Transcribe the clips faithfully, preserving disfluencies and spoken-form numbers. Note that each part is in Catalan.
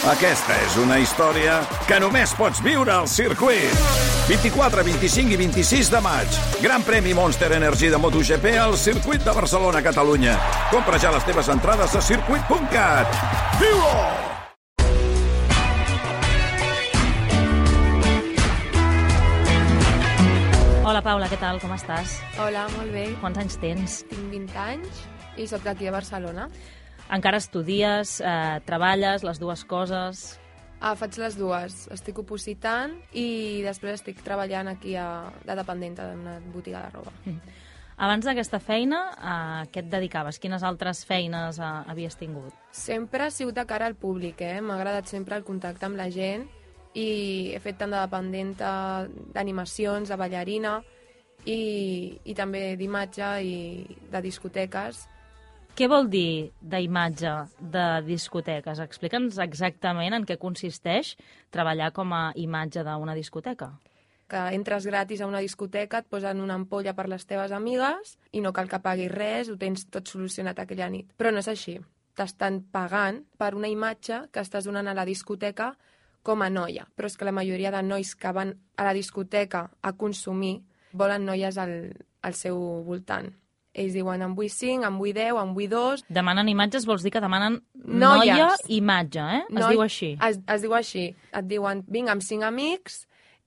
Aquesta és una història que només pots viure al circuit. vint-i-quatre, vint-i-cinc i vint-i-sis de maig. Gran premi Monster Energy de MotoGP al circuit de Barcelona, Catalunya. Compra ja les teves entrades a circuit punt cat. Viu-ho! Hola, Paula, què tal? Com estàs? Hola, molt bé. Quants anys tens? Tinc vint anys i sóc d'aquí de Barcelona. Encara estudies, eh, treballes, les dues coses? Ah, faig les dues. Estic opositant i després estic treballant aquí a, de dependenta d'una botiga de roba. Mm. Abans d'aquesta feina, a què et dedicaves? Quines altres feines eh, havies tingut? Sempre he sigut de cara al públic, eh? M'ha agradat sempre el contacte amb la gent i he fet tant de dependenta d'animacions, de ballarina i, i també d'imatge i de discoteques. Què vol dir d'imatge de discoteques? Explica'ns exactament en què consisteix treballar com a imatge d'una discoteca. Que entres gratis a una discoteca, et posen una ampolla per les teves amigues i no cal que paguis res, ho tens tot solucionat aquella nit. Però no és així. T'estan pagant per una imatge que estàs donant a la discoteca com a noia. Però és que la majoria de nois que van a la discoteca a consumir volen noies al, al seu voltant. Ells diuen, en vull cinc, en vull deu, en vull dos... Demanen imatges vols dir que demanen Noies. noia imatge, eh? Es Noi... diu així. Es, es diu així. Et diuen, vinc amb cinc amics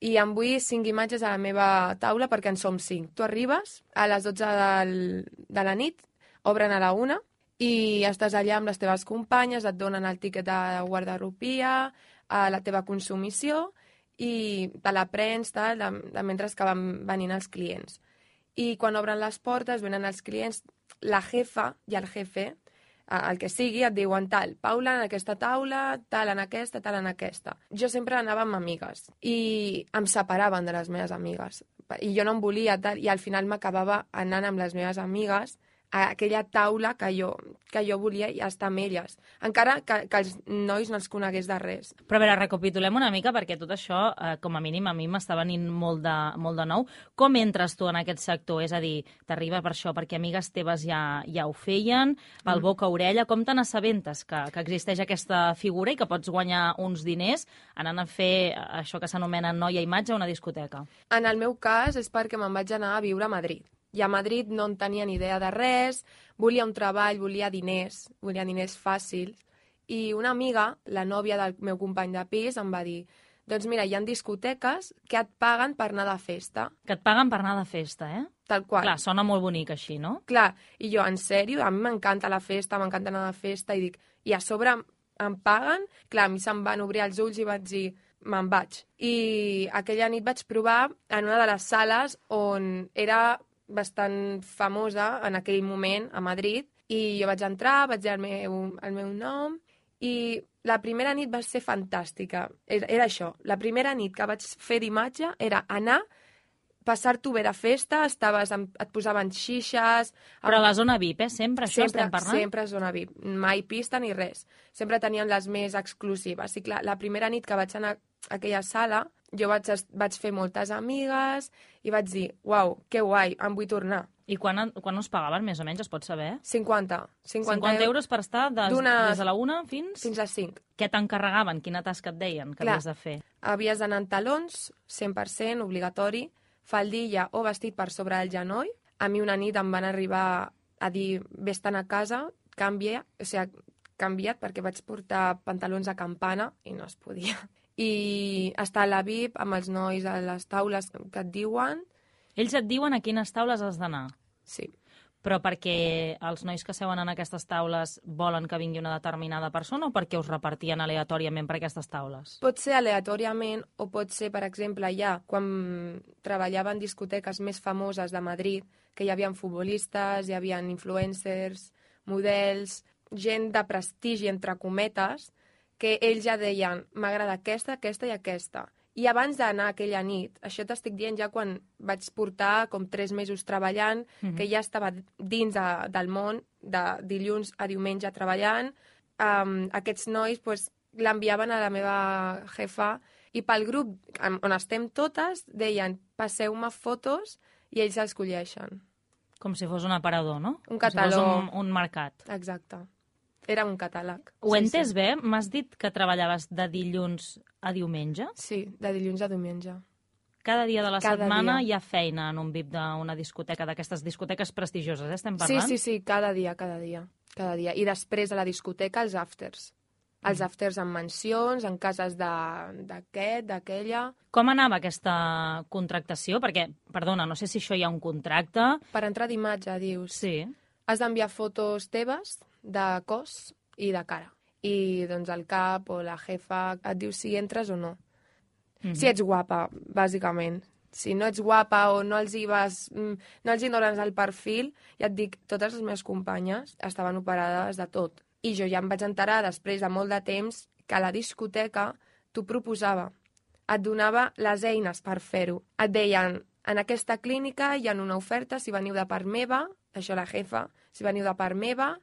i em vull cinc imatges a la meva taula perquè en som cinc. Tu arribes a les dotze del, de la nit, obren a la una i estàs allà amb les teves companyes, et donen el tiquet de guardarropia, a la teva consumició i te la prens, tal, de, de mentre que van venint els clients. I quan obren les portes, venen els clients, la jefa i el jefe, el que sigui, et diuen tal, Paula en aquesta taula, tal en aquesta, tal en aquesta. Jo sempre anava amb amigues i em separaven de les meves amigues. I jo no em volia tal, i al final m'acabava anant amb les meves amigues a aquella taula que jo, que jo volia estar amb elles, encara que, que els nois no els conegués de res. Però a veure, recapitulem una mica, perquè tot això, eh, com a mínim, a mi m'està venint molt de, molt de nou. Com entres tu en aquest sector? És a dir, t'arriba per això, perquè amigues teves ja, ja ho feien, pel boca a orella. Com te n'assabentes que, que existeix aquesta figura i que pots guanyar uns diners anant a fer això que s'anomena noia imatge a una discoteca? En el meu cas és perquè me'n vaig anar a viure a Madrid. I a Madrid no en tenia ni idea de res, volia un treball, volia diners, volia diners fàcils. I una amiga, la nòvia del meu company de pis, em va dir, doncs mira, hi ha discoteques que et paguen per anar de festa. Que et paguen per anar de festa, eh? Tal qual. Clar, sona molt bonic així, no? Clar, i jo, en sèrio, a mi m'encanta la festa, m'encanta anar de festa, i dic, i a sobre em paguen? Clar, a mi se'm van obrir els ulls i vaig dir, me'n vaig. I aquella nit vaig provar en una de les sales on era bastant famosa en aquell moment a Madrid i jo vaig entrar, vaig dir el meu, el meu nom i la primera nit va ser fantàstica. Era, era això, la primera nit que vaig fer d'imatge era anar, passar-t'ho bé de festa, estaves amb, et posaven xixes... Però a la zona V I P, eh? Sempre, això sempre, estem parlant? Sempre zona V I P, mai pista ni res. Sempre tenien les més exclusives. I clar, la primera nit que vaig anar a aquella sala, jo vaig, vaig fer moltes amigues i vaig dir, uau, que guai, em vull tornar. I quan, quan us pagaven, més o menys, es pot saber? cinquanta. cinquanta, cinquanta euros per estar des, des de la una fins... Fins a cinc. Què t'encarregaven? Quina tasca et deien que clar, havies de fer? Havies d'anar en talons, cent per cent, obligatori, faldilla o vestit per sobre el genoll. A mi una nit em van arribar a dir, vés-te'n a casa, canvia, o sigui, canvia't perquè vaig portar pantalons a campana i no es podia. I estar a la V I P amb els nois a les taules que et diuen. Ells et diuen a quines taules has d'anar? Sí. Però perquè els nois que seuen en aquestes taules volen que vingui una determinada persona o perquè us repartien aleatòriament per aquestes taules? Pot ser aleatòriament o pot ser, per exemple, ja quan treballava en discoteques més famoses de Madrid, que hi havia futbolistes, hi havia influencers, models, gent de prestigi, entre cometes, que ells ja deien, m'agrada aquesta, aquesta i aquesta. I abans d'anar aquella nit, això t'estic dient ja quan vaig portar com tres mesos treballant, mm-hmm. que ja estava dins de, del món, de dilluns a diumenge treballant, um, aquests nois pues, l'enviaven a la meva jefa i pel grup on estem totes deien, passeu-me fotos i ells els colleixen. Com si fos un aparador, no? Un cataló. Com si fos un, un mercat. Exacte. Era un catàleg. Ho sí, he entès sí. bé? M'has dit que treballaves de dilluns a diumenge? Sí, de dilluns a diumenge. Cada dia de la Cada setmana dia. hi ha feina en un V I P d'una discoteca, d'aquestes discoteques prestigioses, eh? Estem Sí, parlant? sí, sí, cada dia, cada dia. Cada dia. I després a la discoteca els afters. Els afters en mansions, en cases de- d'aquest, d'aquella... Com anava aquesta contractació? Perquè, perdona, no sé si això hi ha un contracte. Per entrar d'imatge, dius. Sí. Has d'enviar fotos teves de cos i de cara. I doncs el cap o la jefa et diu si entres o no. Mm-hmm. Si ets guapa, bàsicament. Si no ets guapa o no els hi vas... no els hi dones el perfil, ja et dic, totes les meves companyes estaven operades de tot. I jo ja em vaig enterar, després de molt de temps, que la discoteca t'ho proposava. Et donava les eines per fer-ho. Et deien, en aquesta clínica hi ha una oferta, si veniu de part meva, això la jefa, si veniu de part meva,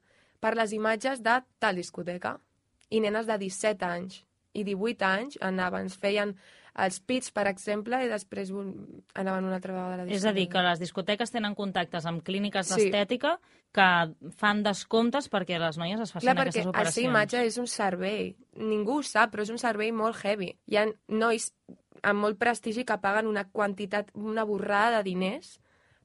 per les imatges de tal discoteca. I nenes de disset anys i divuit anys anaven, ens feien els pits, per exemple, i després un... anaven una altra vegada a la discoteca. És a dir, que les discoteques tenen contactes amb clíniques Sí. d'estètica que fan descomptes perquè les noies es facin Clar, perquè aquestes el operacions. ser imatge és un servei. Ningú ho sap, però és un servei molt heavy. Hi ha nois amb molt prestigi que paguen una quantitat, una borrada de diners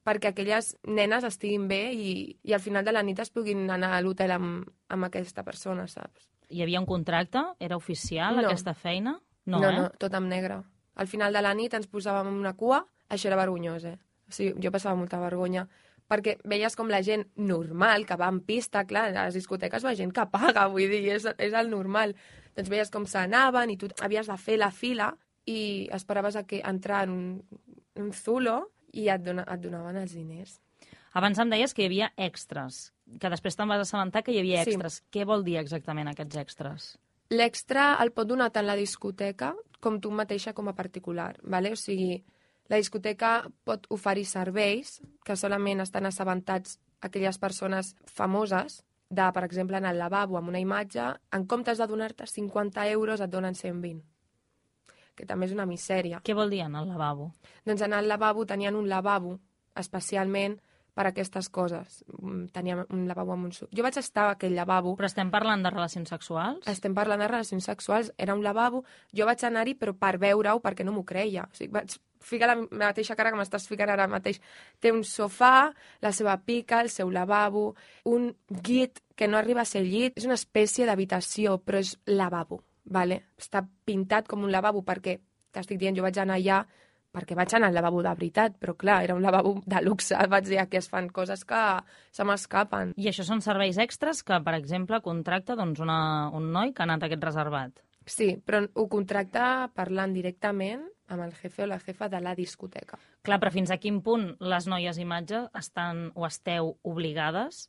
perquè aquelles nenes estiguin bé i, i al final de la nit es puguin anar a l'hotel amb, amb aquesta persona, saps? Hi havia un contracte? Era oficial, No. aquesta feina? No, no, eh? no, tot en negre. Al final de la nit ens posàvem en una cua, això era vergonyós, eh? O sigui, jo passava molta vergonya, perquè veies com la gent normal, que va en pista, clar, a les discoteques va gent que paga, vull dir, és, és el normal. Doncs veies com s'anaven i tu havies de fer la fila i esperaves a que entrar en un, un zulo i et, dona, et donaven els diners. Abans em deies que hi havia extras, que després te'n vas assabentar que hi havia Sí. extras. Què vol dir exactament aquests extras? L'extra el pot donar tant la discoteca com tu mateixa com a particular, ¿vale? O sigui, la discoteca pot oferir serveis que solament estan assabentats aquelles persones famoses de, per exemple, en el lavabo amb una imatge, en comptes de donar-te cinquanta euros et donen cent vint, que també és una misèria. Què vol dir en el lavabo? Doncs en el lavabo tenien un lavabo especialment per aquestes coses. Mm, Teníem un lavabo amb un... su- Jo vaig estar a aquell lavabo. Però estem parlant de relacions sexuals? Estem parlant de relacions sexuals. Era un lavabo. Jo vaig anar-hi, però per veure-ho, perquè no m'ho creia. O sigui, vaig ficar la mateixa cara que m'estàs ficant ara mateix. Té un sofà, la seva pica, el seu lavabo, un llit que no arriba a ser llit. És una espècie d'habitació, però és lavabo, vale? Està pintat com un lavabo perquè, t'estic dient, jo vaig anar allà perquè vaig anar al lavabo de veritat, però clar, era un lavabo de luxe. Vaig dir que es fan coses que se m'escapen. I això són serveis extras que, per exemple, contracta doncs, una, un noi que ha anat a aquest reservat. Sí, però ho contracta parlant directament amb el jefe o la jefa de la discoteca. Clar, però fins a quin punt les noies imatge estan o esteu obligades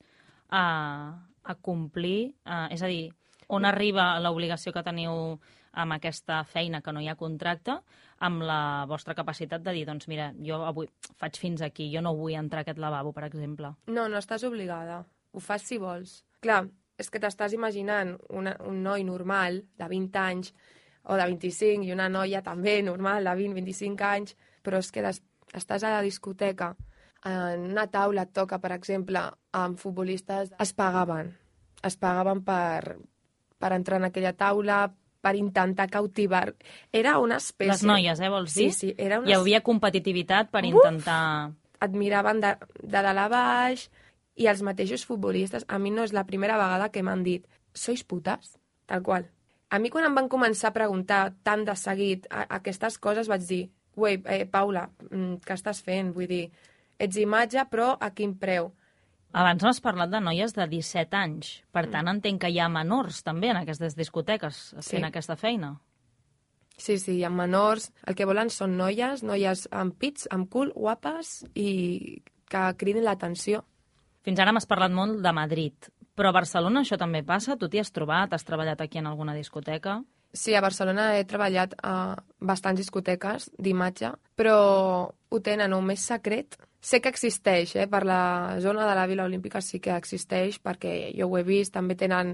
a, a complir? A, és a dir, on arriba l'obligació que teniu amb aquesta feina que no hi ha contracte, amb la vostra capacitat de dir, doncs mira, jo avui faig fins aquí, jo no vull entrar a aquest lavabo, per exemple. No, no estàs obligada. Ho fas si vols. Clar, és que t'estàs imaginant una, un noi normal de vint anys o de vint-i-cinc i una noia també normal de vint a vint-i-cinc anys, però és que des, estàs a la discoteca, en una taula et toca, per exemple, amb futbolistes, es pagaven. Es pagaven per, per entrar en aquella taula, per intentar cautivar. Era una espècie... Les noies, eh, vols dir? Sí, sí. Era una... Hi havia competitivitat per Uf! intentar... Et miraven de, de dalt a baix i els mateixos futbolistes. A mi no és la primera vegada que m'han dit «Sois putes?» Tal qual. A mi quan em van començar a preguntar tant de seguit a, a aquestes coses vaig dir «Ué, eh, Paula, mm, què estàs fent?» Vull dir, ets imatge, però a quin preu? Abans m'has parlat de noies de disset anys. Per tant, entenc que hi ha menors també en aquestes discoteques fent Sí. aquesta feina. Sí, sí, amb menors. El que volen són noies, noies amb pits, amb cul, guapes i que cridin l'atenció. Fins ara m'has parlat molt de Madrid. Però a Barcelona això també passa? Tu t'hi has trobat? Has treballat aquí en alguna discoteca? Sí, a Barcelona he treballat a bastants discoteques d'imatge, però ho tenen o més secret. Sé que existeix, eh? Per la zona de la Vila Olímpica sí que existeix, perquè jo ho he vist, també tenen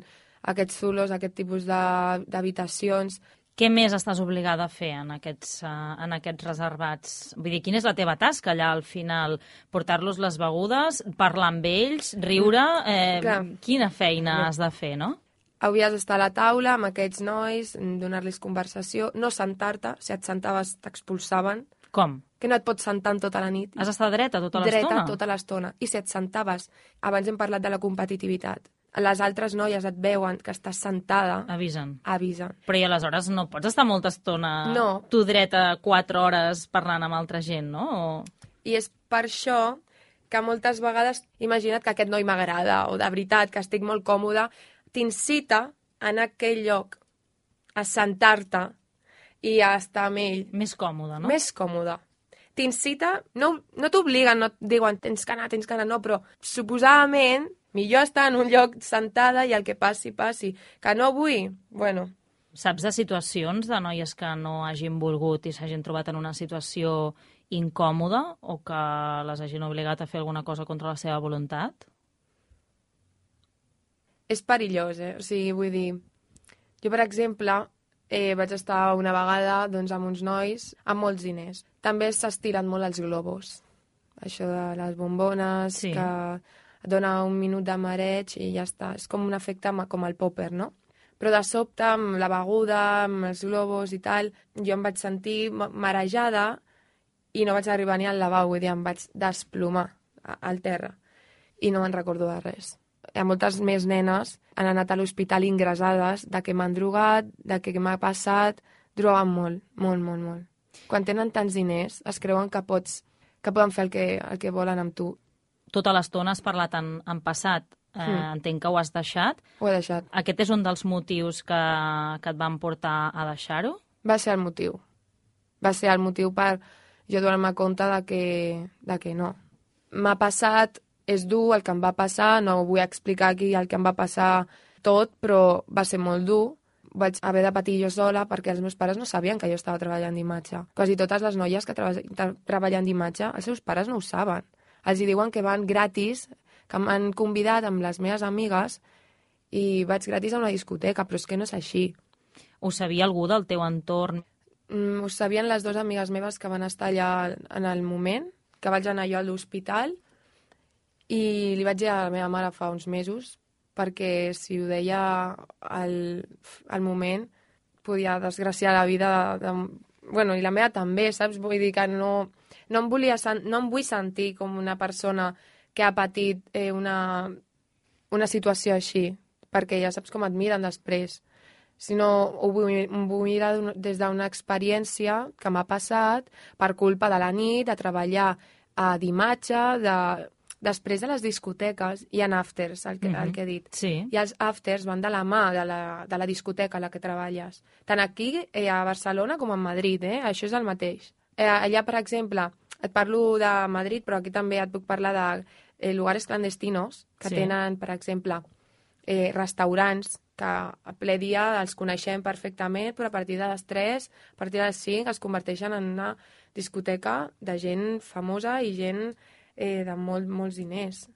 aquests zulos, aquest tipus de- d'habitacions. Què més estàs obligada a fer en aquests, uh, en aquests reservats? Vull dir, quina és la teva tasca allà al final? Portar-los les begudes, parlar amb ells, riure? Eh, Clar. quina feina has de fer, no? havies d'estar a la taula amb aquests nois, donar-los conversació, no sentar-te, si et sentaves t'expulsaven. Com? Que no et pots sentar en tota la nit. Has d'estar dreta tota l'estona? Dreta tota l'estona. I si et sentaves, abans hem parlat de la competitivitat, les altres noies et veuen que estàs sentada... Avisen. Avisen. Però i aleshores no pots estar molta estona no. tu dreta quatre hores parlant amb altra gent, no? O... I és per això que moltes vegades, imagina't que aquest noi m'agrada, o de veritat, que estic molt còmoda, t'incita en aquell lloc a sentar-te i a estar amb ell. Més còmode, no? Més còmode. T'incita, no, no t'obliguen, no et diuen tens que anar, tens que anar, no, però suposadament millor estar en un lloc sentada i el que passi, passi. Que no vull? Bueno. Saps de situacions de noies que no hagin volgut i s'hagin trobat en una situació incòmoda o que les hagin obligat a fer alguna cosa contra la seva voluntat? És perillós, eh? O sigui, vull dir... Jo, per exemple, eh, vaig estar una vegada doncs, amb uns nois amb molts diners. També s'estiren molt els globus. Això de les bombones, sí. que et dona un minut de mareig i ja està. És com un efecte com el popper, no? Però de sobte, amb la beguda, amb els globus i tal, jo em vaig sentir marejada i no vaig arribar ni al lavabo, vull dir, em vaig desplomar al terra. I no me'n recordo de res. Hi ha moltes més nenes han anat a l'hospital ingressades de que m'han drogat, de que m'ha passat, droguen molt, molt, molt, molt. Quan tenen tants diners es creuen que pots, que poden fer el que, el que volen amb tu. Tota l'estona has parlat en, en passat. Eh, mm. Entenc que ho has deixat. Ho he deixat. Aquest és un dels motius que, que et van portar a deixar-ho? Va ser el motiu. Va ser el motiu per jo donar-me compte de que, de que no. M'ha passat, és dur el que em va passar, no vull explicar aquí el que em va passar tot, però va ser molt dur. Vaig haver de patir jo sola perquè els meus pares no sabien que jo estava treballant d'imatge. Quasi totes les noies que treba treballen d'imatge, els seus pares no ho saben. Els hi diuen que van gratis, que m'han convidat amb les meves amigues i vaig gratis a una discoteca, però és que no és així. Ho sabia algú del teu entorn? Mm, ho sabien les dues amigues meves que van estar allà en el moment, que vaig anar jo a l'hospital, i li vaig dir a la meva mare fa uns mesos, perquè si ho deia al, al moment podia desgraciar la vida de, de... Bueno, i la meva també, saps? Vull dir que no, no, em volia, no em vull sentir com una persona que ha patit eh, una, una situació així, perquè ja saps com et miren després. Sinó ho vull, ho vull mirar des d'una experiència que m'ha passat per culpa de la nit, de treballar a d'imatge, de... després de les discoteques hi ha afters, el que, mm-hmm. el que he dit. Sí. I els afters van de la mà de la, de la discoteca a la que treballes. Tant aquí, eh, a Barcelona, com a Madrid, eh? Això és el mateix. Eh, allà, per exemple, et parlo de Madrid, però aquí també et puc parlar de eh, lugares clandestinos, que sí. Tenen, per exemple, eh, restaurants que a ple dia els coneixem perfectament, però a partir de les tres, a partir de les cinc, es converteixen en una discoteca de gent famosa i gent eh, de molt, molts diners.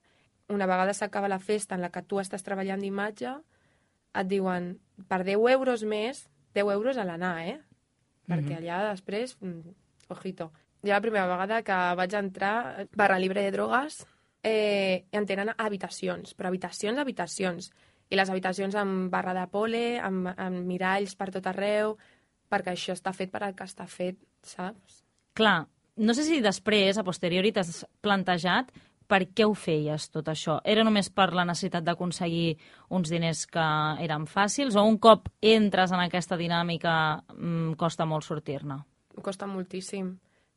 Una vegada s'acaba la festa en la que tu estàs treballant d'imatge, et diuen, per deu euros més, deu euros a l'anar, eh? Perquè allà després, ojito. Ja la primera vegada que vaig entrar, barra libre de drogues, eh, en tenen habitacions, però habitacions, habitacions. I les habitacions amb barra de pole, amb, amb miralls per tot arreu, perquè això està fet per al que està fet, saps? Clar, no sé si després, a posteriori, t'has plantejat per què ho feies, tot això. Era només per la necessitat d'aconseguir uns diners que eren fàcils o un cop entres en aquesta dinàmica mmm, costa molt sortir-ne? Costa moltíssim,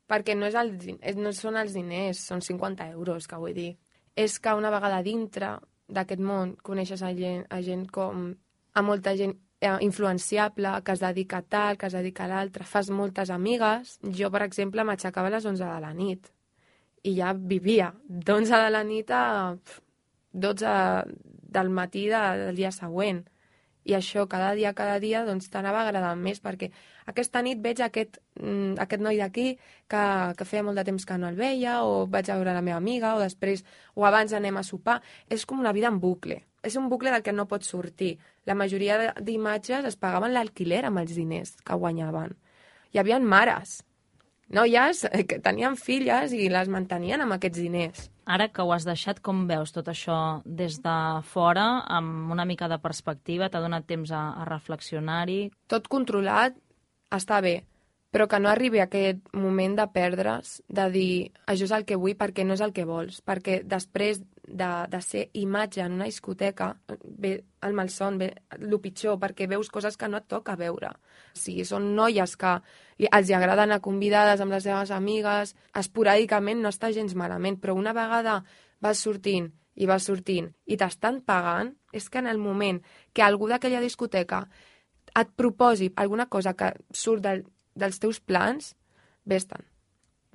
perquè no, és el, no són els diners, són cinquanta euros, que vull dir. És que una vegada dintre d'aquest món coneixes a gent, a gent com... a molta gent influenciable, que es dedica a tal, que es dedica a l'altre, fas moltes amigues. Jo, per exemple, m'aixecava a les onze de la nit i ja vivia d'onze de la nit a dotze del matí de, del dia següent. I això, cada dia, cada dia, doncs t'anava agradant més, perquè aquesta nit veig aquest, mm, aquest noi d'aquí que, que feia molt de temps que no el veia, o vaig a veure la meva amiga, o després, o abans anem a sopar. És com una vida en bucle. És un bucle del que no pots sortir. La majoria d'imatges es pagaven l'alquiler amb els diners que guanyaven. Hi havia mares noies que tenien filles i les mantenien amb aquests diners. Ara que ho has deixat, com veus tot això des de fora, amb una mica de perspectiva? T'ha donat temps a, a reflexionar-hi? Tot controlat està bé, però que no arribi a aquest moment de perdre's, de dir això és el que vull perquè no és el que vols, perquè després de, de ser imatge en una discoteca ve el malson, ve el pitjor, perquè veus coses que no et toca veure. O sigui, són noies que els agrada anar convidades amb les seves amigues, esporàdicament no està gens malament, però una vegada vas sortint i vas sortint i t'estan pagant, és que en el moment que algú d'aquella discoteca et proposi alguna cosa que surt del, dels teus plans, vés-te'n.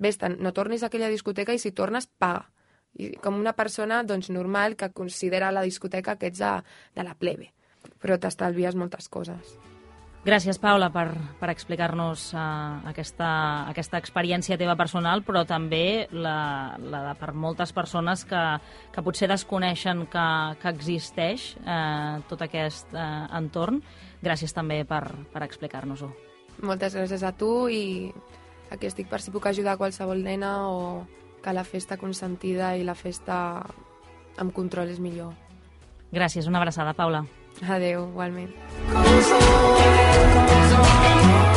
Vés-te'n, no tornis a aquella discoteca i si tornes, paga. I com una persona doncs, normal que considera la discoteca que ets de, de la plebe. Però t'estalvies moltes coses. Gràcies, Paula, per, per explicar-nos uh, aquesta, aquesta experiència teva personal, però també la, la de per moltes persones que, que potser desconeixen que, que existeix uh, tot aquest uh, entorn. Gràcies també per, per explicar-nos-ho. Moltes gràcies a tu i aquí estic per si puc ajudar qualsevol nena o que la festa consentida i la festa amb control és millor. Gràcies, una abraçada, Paula. Adéu, igualment. Goes on, goes on.